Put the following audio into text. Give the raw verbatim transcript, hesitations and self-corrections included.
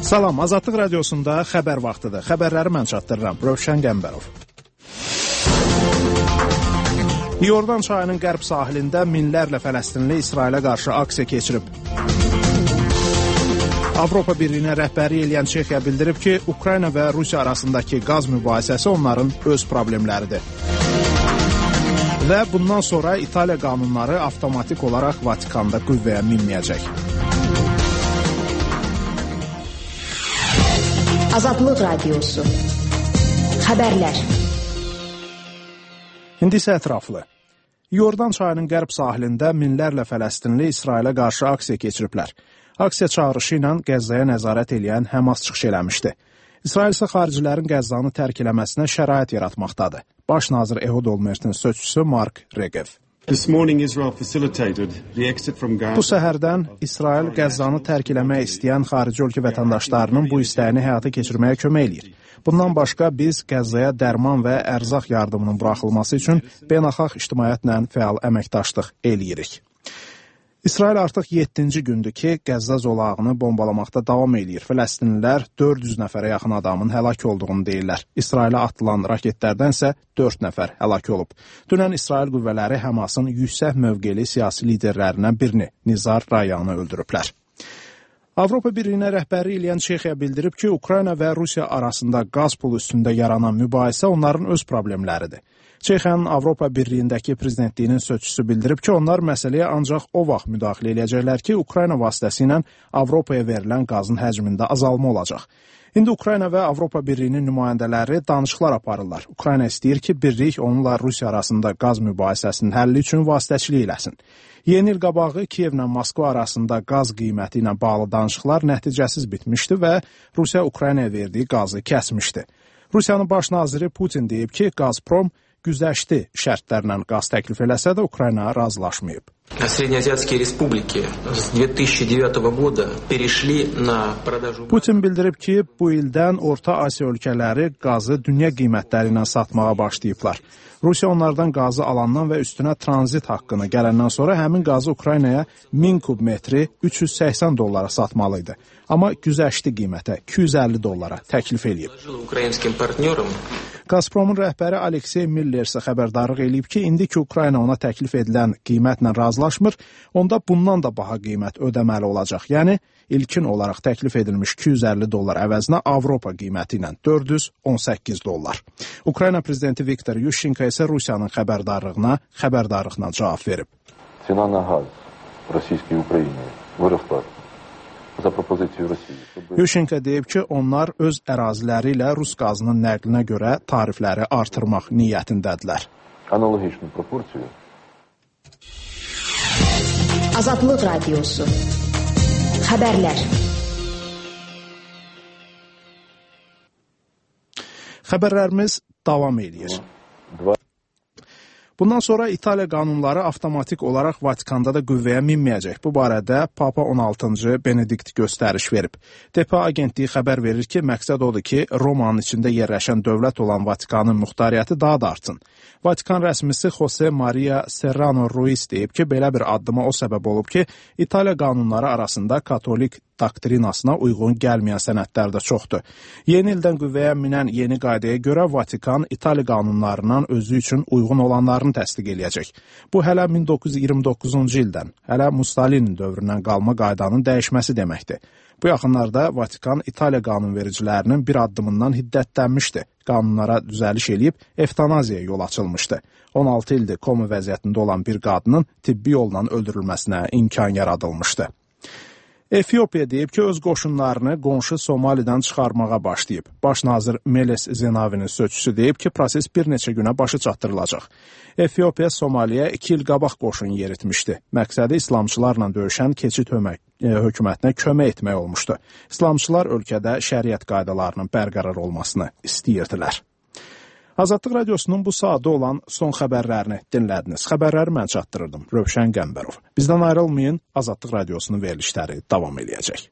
Salam, Azadlıq radiosunda xəbər vaxtıdır. Xəbərləri mən çatdırıram. Rövşən Qəmbərov. Yordan çayının qərb sahilində minlərlə Fələstinli İsrailə qarşı aksiya keçirib. Avropa Birliyinə rəhbərlik eləyən Çexiya bildirib ki, Ukrayna və Rusiya arasındakı qaz mübahisəsi onların öz problemləridir. Və bundan sonra İtaliya qanunları avtomatik olaraq Vatikanda qüvvəyə minməyəcək. Azadlıq radiosu. Xəbərlər. İndi isə ətraflı. Yordan çayının qərb sahilində minlərlə Fələstinli İsrailə qarşı aksiya keçiriblər. Aksiya çağırışı ilə Qəzzaya nəzarət eləyən Həmas çıxış eləmişdi. İsrail isə xaricilərin Qəzzanı tərk eləməsinə şərait yaratmaqdadır. Baş nazir Ehud Olmertin sözçüsü Mark Regev. Bu səhərdən İsrail Qəzzanı tərk eləmək istəyən xarici ölkə vətəndaşlarının bu istəyini həyata keçirməyə kömək eləyir. Bundan başqa biz Qəzzaya dərman və ərzaq yardımının buraxılması üçün beynəlxalq ictimaiyyətlə fəal əməkdaşlıq eləyirik. İsrail artıq yeddinci gündür ki, Qəzza zolağını bombalamaqda davam eləyir. Fələstinlilər dörd yüz nəfərə yaxın adamın həlak olduğunu deyirlər. İsrailə atılan raketlərdən isə dörd nəfər həlak olub. Dünən İsrail qüvvələri Həmasın yüksək mövqeli siyasi liderlərindən birini, Nizar Rayanı öldürüblər. Avropa Birliyinə rəhbərlik eləyən Çexiya bildirib ki, Ukrayna və Rusiya arasında qaz pulu üstündə yaranan mübahisə onların öz problemləridir. Çexiyanın Avropa Birliyindəki prezidentliyinin sözçüsü bildirib ki, onlar məsələyə ancaq o vaxt müdaxilə eləyəcəklər ki, Ukrayna vasitəsilə Avropaya verilən qazın həcmində azalma olacaq. İndi Ukrayna və Avropa Birliyinin nümayəndələri danışıqlar aparırlar. Ukrayna istəyir ki, birlik onunla Rusiya arasında qaz mübahisəsinin həlli üçün vasitəçilik eləsin. Yeni il qabağı Kiyevlə Moskva arasında qaz qiyməti ilə bağlı danışıqlar nəticəsiz bitmişdi və Rusiya Ukraynaya verdiyi qazı kəsmişdi. Rusiyanın baş naziri Putin deyib ki, Gazprom güzəşti şərtlərlə qaz təklif eləsə də Ukrayna razılaşmayıb. Putin bildirib ki, bu ildən Orta Asiya ölkələri qazı dünya qiymətləri ilə satmağa başlayıblar. Rusiya onlardan qazı alandan və üstünə tranzit haqqını gələndən sonra həmin qazı Ukraynaya min kub metri üç yüz səksən dollara satmalıydı. Amma güzəşti qiymətə iki yüz əlli dollara təklif eləyib. Gazpromun rəhbəri Aleksey Miller isə xəbərdarlıq eləyib ki, indi ki Ukrayna ona təklif edilən qiymətlə razılaşmır, onda bundan da baha qiymət ödəməli olacaq. Yəni, ilkin olaraq təklif edilmiş iki yüz əlli dollar əvəzinə Avropa qiyməti ilə dörd yüz on səkkiz dollar. Ukrayna prezidenti Viktor Yushchenko isə Rusiyanın xəbərdarlığına xəbərdarlıqla cavab verib. Cena na gaz Rusiya Ukrayna vırıqlar. Yushchenko deyib ki, onlar öz əraziləri ilə Rus qazının nəqlinə görə tarifləri artırmaq niyyətindədirlər. Azadlıq radiosu. Xəbərlər. Xəbərlərimiz davam edir. Bundan sonra İtaliya qanunları avtomatik olaraq Vatikanda da qüvvəyə minməyəcək. Bu barədə Papa on altıncı Benedikt göstəriş verib. D P A agentliyi xəbər verir ki, məqsəd odur ki, Romanın içində yerləşən dövlət olan Vatikanın muxtariyyəti daha da artsın. Vatikan rəsmisi Jose Maria Serrano Ruiz deyib ki, belə bir addıma o səbəb olub ki, İtaliya qanunları arasında katolik doktrinasına uyğun gəlməyən sənədlər də çoxdur. Yeni ildən qüvvəyə minən yeni qaydaya görə Vatikan İtaliya qanunlarından özü üçün uyğun olanlarını təsdiq eləyəcək. Bu hələ min doqquz yüz iyirmi doqquzuncu ildən, hələ Mussolini dövründən qalma qaydanın dəyişməsi deməkdir. Bu yaxınlarda Vatikan İtaliya qanunvericilərinin bir addımından hiddətlənmişdi. Qanunlara düzəliş eləyib evtanaziyaya yol açılmışdı. on altı ildir koma vəziyyətində olan bir qadının tibbi yolla öldürülməsinə imkan yaradılmışdı. Efiopiya deyib ki, öz qoşunlarını qonşu Somalidən çıxarmağa başlayıb. Baş nazir Meles Zenavinin sözçüsü deyib ki, proses bir neçə günə başı çatdırılacaq. Efiopiya Somaliyə iki il qabaq qoşun yeritmişdi. Məqsədi İslamçılarla döyüşən keçid hökumətinə kömək etmək olmuşdu. İslamçılar ölkədə şəriət qaydalarının bərqərar olmasını istəyirdilər. Azadlıq radiosunun bu saatda olan son xəbərlərini dinlədiniz. Xəbərləri mən çatdırırdım. Rövşən Qəmbərov. Bizdən ayrılmayın, Azadlıq radiosunun verilişləri davam edəcək.